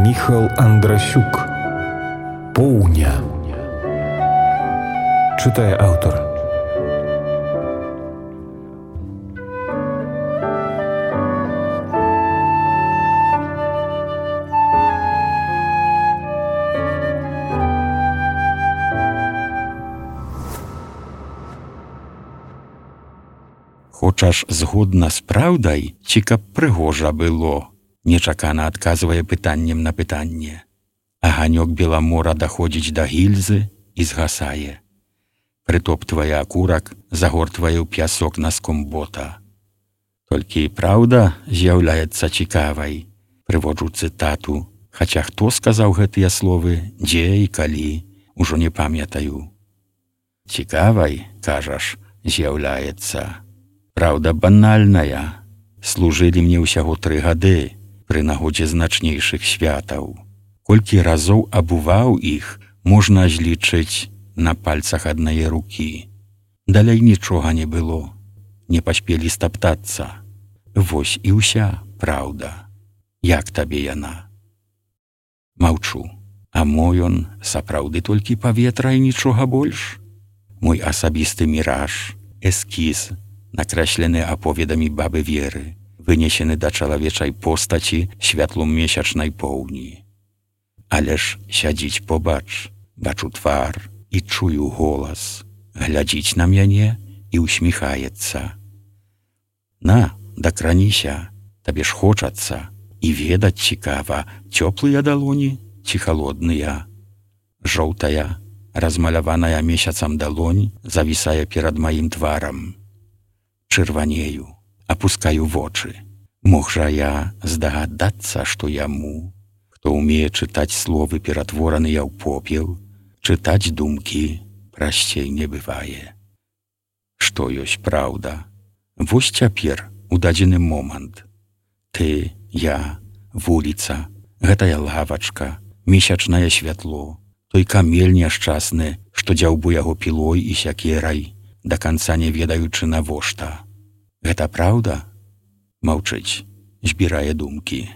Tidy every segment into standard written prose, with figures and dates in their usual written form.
Міхал Андрасюк. Поўня. Чытае аўтар. Хочаш згодна з праўдай, ці каб прыгожа было? Нечакана адказвае пытаннем на пытанне. Аганёк Беламора даходзіць да гільзы і згасае. Прытоптвае акурак, загортвае ў пясок наском бота. Толькі праўда з'яўляецца цікавай. Прыводжу цытату, хаця хто сказаў гэтыя словы, дзе і калі, ужо не памятаю. Цікавай, кажаш, з'яўляецца. Праўда банальная. Служылі мне ўсяго 3 гады пры нагодзе значнейшых святаў. Колькі разоў абуваў іх, можна злічыць на пальцах аднае рукі. Далей нічога не было. Не паспелі стаптацца. Вось і ўся праўда. Як табе яна? Маўчу. А мой он сапраўды толькі паветра і нічога больш? Мой асабісты міраж, эскіз, накрэслены аповедамі бабы Веры, вынесены да чалавечай постаці святлом месячнай поўні. Але ж сядзіць побач, бачу твар і чую голас, глядзіць на мяне і усміхаецца. На, дакраніся, табе ж хочацца, і ведаць цікава, цёплыя далоні ці халодныя. Жоўтая, размаляваная месяцам далонь завісае перад маім тварам. Чырванею, апускаю вочы. Мог жа я здагадацца, што яму, хто ўмее чытаць словы, ператвораныя ў попел, чытаць думкі прасцей не бывае. Што ёсць праўда? Вось цяпер, у дадзены момант. Ты, я, вуліца, гэтая лавачка, месячнае святло, той камель няшчасны, што дзяўбу яго пілой і сякерай, да канца не ведаючы навошта. Гэта праўда? Маўчыць, збірае думкі.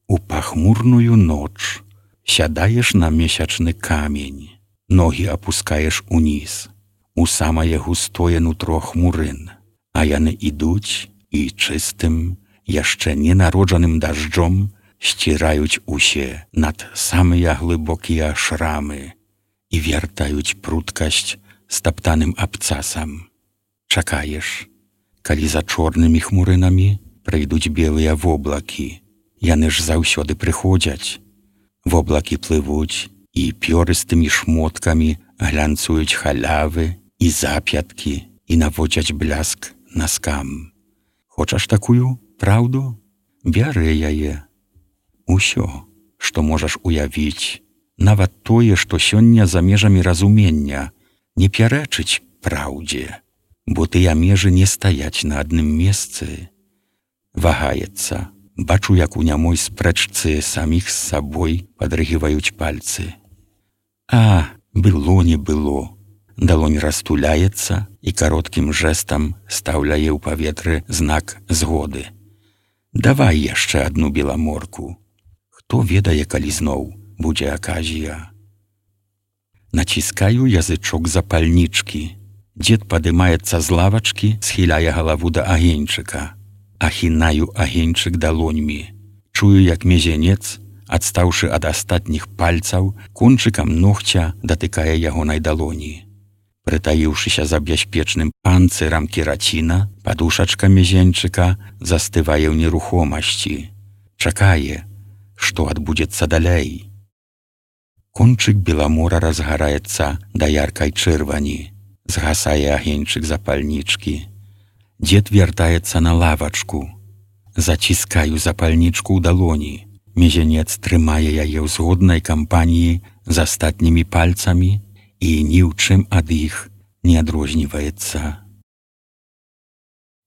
У пахмурную ноч сядаеш на месячны камень, ногі апускаеш уніз, у самае густое нутро хмурын, а яны ідуць і чыстым, яшчэ ненароджаным дажджом сціраюць усе над самыя глыбокія шрамы і вяртаюць пруткасць стаптаным абцасам. Чакаеш, калі за чорнымі хмурынамі прыйдуць белыя воблакі. Яны ж заўсёды прыходзяць. Воблакі плывуць і пёрыстымі шмоткамі глянцуюць халявы і запяткі і наводзяць бляск наскам. Хочаш такую праўду? Бяры яе. Усё, што можаш уявіць, нават тое, што сёння за межамі разумення, не пярэчыць праўдзе, бо тыя межы не стаяць на адным месцы. Вагаецца. Бачу, як у нямой спрэчцы саміх з сабой падрыгіваюць пальцы. А, было не было. Далонь растуляецца і кароткім жэстам стаўляе ў паветры знак згоды. Давай яшчэ адну беламорку. Хто ведае, калі зноў будзе аказія. Націскаю язычок запальнічкі. Дзед падымаецца з лавачкі, схіляе галаву да агеньчыка. Ахінаю агеньчык далоньмі. Чую, як мезянец, адстаўшы ад астатніх пальцаў, кончыкам ногця датыкае ягонай далоні. Прытаіўшыся за бяспечным панцырам кераціна, падушачка мезянчыка застывае ў нерухомасці. Чакае, што адбудзецца далей. Кончык Беламора разгараецца да яркай чырвані. Згасае агеньчык запальнічкі. Дзед вяртаецца на лавачку. Заціскаю запальнічку ў далоні. Мезянец трымае яе ў згоднай кампаніі з астатнімі пальцамі і ні ў чым ад іх не адрозніваецца.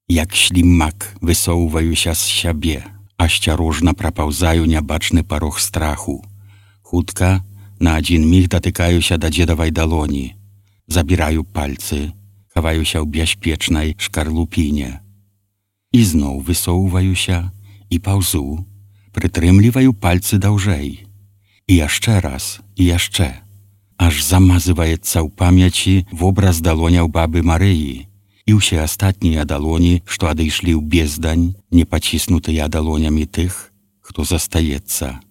Як слімак высоўваюся з сябе, асцярожна прапаўзаю нябачны парог страху. Хутка на адзін міг датыкаюся да дзедавай далоні. Забіраю пальцы, хаваюся ў бяспечнай шкарлупіне. І зноў высоўваюся і паўзу, прытрымліваю пальцы даўжэй. І яшчэ раз, і яшчэ. Аж замазываецца ў памяці вобраз далоняў бабы Марыі і ўсе астатнія далоні, што адышлі ў бездань, не паціснутыя далонямі тых, хто застаецца.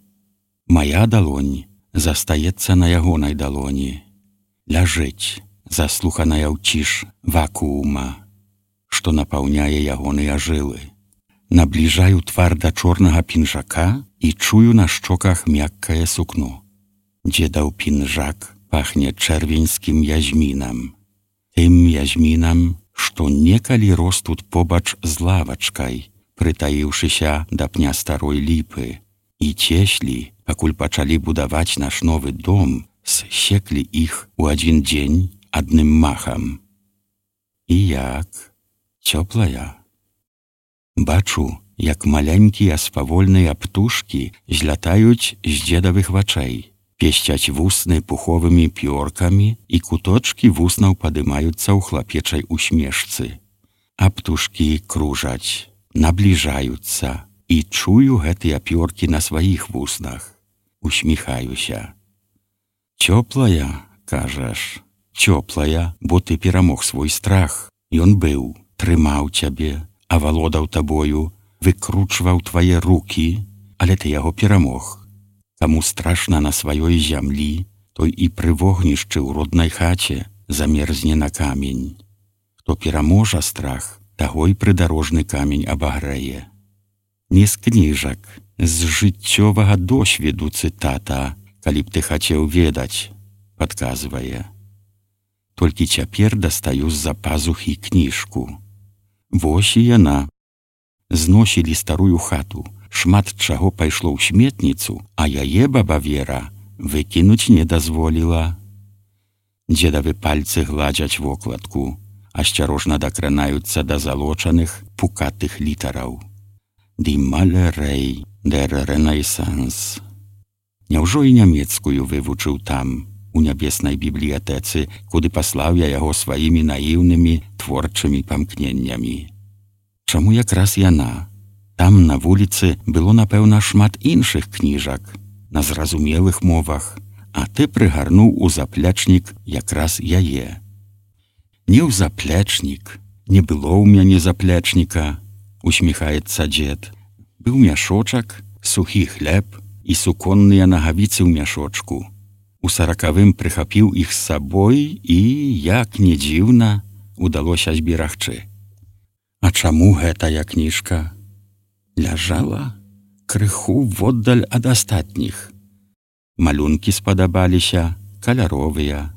Мая далонь застаецца на ягонай далоні. Ляжыць, заслуханая ў ціш вакуума, што напаўняе ягоныя жылы. Набліжаю твар да чорнага пінжака і чую на шчоках мяккае сукно. Дзедаў пінжак пахне чэрвеньскім язмінам. Тым язмінам, што некалі рос тут побач з лавачкай, прытаіўшыся да пня старой ліпы, і цеслі, пакуль пачалі будаваць наш новы дом, зсеклі іх у адзін дзень адным махам. І як? Цёплая. Бачу, як маленькія спавольныя птушкі злятаюць з дзедавых вачэй, песцяць вусны пуховымі пёркамі і куточкі вуснаў падымаюцца ў хлапечай усмешцы. А птушкі кружаць, набліжаюцца, і чую гэтыя пёркі на сваіх вуснах. Усміхаюся. Цёплая, кажаш, цёплая, бо ты перамог свой страх. Ён быў, трымаў цябе, авалодаў табою, выкручваў твае рукі, але ты яго перамог. Каму страшна на сваёй зямлі, той і пры вогнішчы ў роднай хаце замерзне на камень. Хто пераможа страх, таго і прыдарожны камень абагрэе. Не з кніжак, з жыццёвага досведу цытата, калі б ты хацеў ведаць, падказвае. Толькі цяпер дастаю з-за пазухі кніжку. Вось і яна. Зносілі старую хату, шмат чаго пайшло ў сметніцу, а яе баба Вера выкінуць не дазволіла. Дзедавы пальцы гладзяць вокладку, асцярожна дакранаюцца да залочаных, пукатых літараў. «Die Malerei der Renaissance». Няўжо і нямецкую вывучыў там, у нябеснай бібліятэцы, куды паслаў я яго сваімі наіўнымі творчымі памкненнямі. Чаму якраз яна? Там на вуліцы было, напэўна, шмат іншых кніжак, на зразумелых мовах, а ты прыгарнуў у заплечнік якраз яе. Не ў заплечнік, не было ў мяне заплечніка, усміхаецца дзед. Быў мяшочак, сухі хлеб і суконныя нагавіцы ў мяшочку. У 40-м прыхапіў іх з сабой і, як не дзіўна, удалося зберагчы. А чаму гэтая кніжка? Ляжала крыху воддаль ад астатніх. Малюнкі спадабаліся, каляровыя.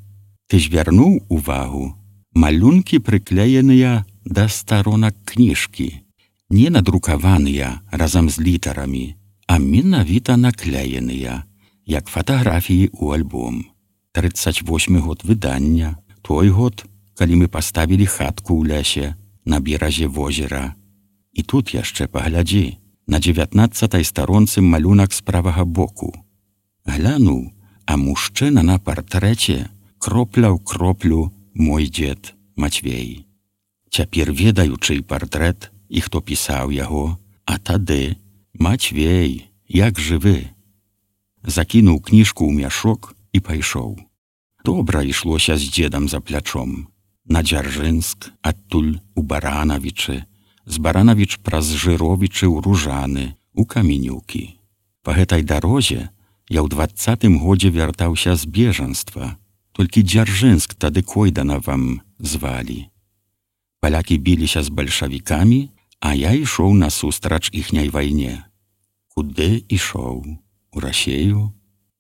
Ты звярнуў увагу? Малюнкі прыклееныя да старонак кніжкі. Не надрукаваныя разам з літарамі, а менавіта наклееныя, як фатаграфіі ў альбом. 38 год выдання, той год, калі мы паставілі хатку ў лясе на беразе возера. І тут яшчэ паглядзі, на 19-й старонцы малюнак з правага боку. Глянуў, а мужчына на партрэце кропля ў кроплю мой дзед Мацвей. Цяпер ведаю, чый партрэт і хто пісаў яго, а тады Мацвей, як жывы. Закінуў кніжку ў мяшок і пайшоў. Добра ішлося з дзедам за плячом. На Дзяржынск, адтуль у Баранавічы, з Баранавіч праз Жыровічы ў Ружаны, у Каменюкі. Па гэтай дарозе я ў 20-м годзе вяртаўся з бежанства, толькі Дзяржынск тады Койданавам звалі. Палякі біліся з бальшавікамі, а я ішоў насустрач іхняй вайне. Куды ішоў? У Расею?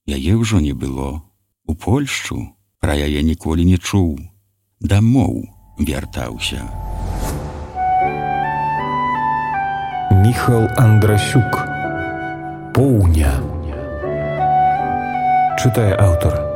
Яе ўжо не было. У Польшчу? Пра яе ніколі не чуў. Дамоў вяртаўся. Міхал Андрасюк. Поўня. Чытае аўтар.